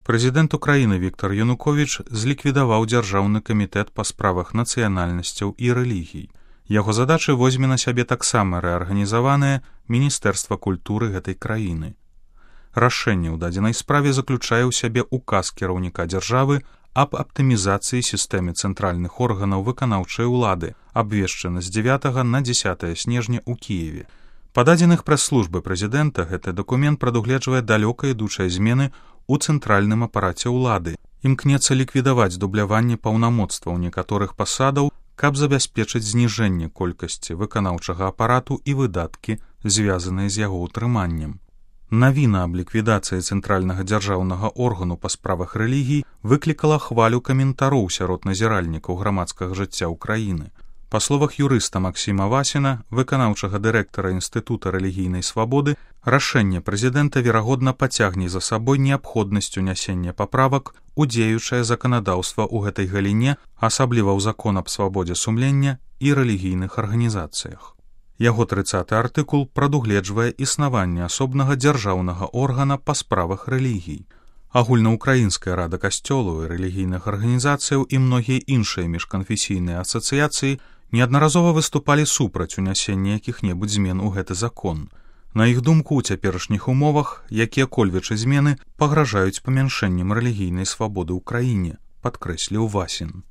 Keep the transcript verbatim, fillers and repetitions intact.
Прэзідэнт Украіны Віктор Януковіч зліквідаваў Дзяржаўны камітэт па справах нацыянальнасцяў і рэлігій. Яго задачы возьме на сябе таксама рэарганізаванае Міністэрства культуры гэтай краіны. Рашэнне ў дадзенай справе заключае ў сябе указ кіраўніка дзяржавы аб аптымізацыі сістэмы цэнтральных органаў выканаўчай улады, абвешчана з дзевятага на дзесятае снежня ў Кіеве. Па дадзеных прэс-службы прэзідэнта гэты дакумент прадугледжвае далёка ідучыя змены ў цэнтральным апараце ўлады. Імкнецца ліквідаваць дубляванне паўнамоцтваў некаторых пасадаў, каб забяспечыць зніжэнне колькасці выканаўчага апарату і выдаткі, звязаныя з яго ўтрыманнем. Навіна аб ліквідацыі цэнтральнага дзяржаўнага органу па справах рэлігій выклікала хвалю каментароў сярод назіральнікаў грамадскага жыцця ўкраіны. Па словах юрыста Максіма Васіна, выканаўчага дырэктара Інстытута рэлігійнай свабоды, рашэнне прэзідэнта верагодна пацягне за сабой неабходнасць унясення паправак у дзеючае заканадаўства ў гэтай галіне, асабліва ў закон аб свабодзе сумлення і рэлігійных арганізацыях. Яго трыццаты артыкул прадугледжвае існаванне асобнага дзяржаўнага органа па справах рэлігій. Агульнаўкраінская рада касцёлаў і рэлігійных арганізацыяў і многія іншыя міжканфесійныя асацыяцыі неаднаразова выступалі супраць унясення якіх-небудзь змен у гэты закон. На іх думку, у цяперашніх умовах якія-кольвечы змены пагражаюць памяншэннем рэлігійнай свабоды ў краіне, падкрэсліў Васін.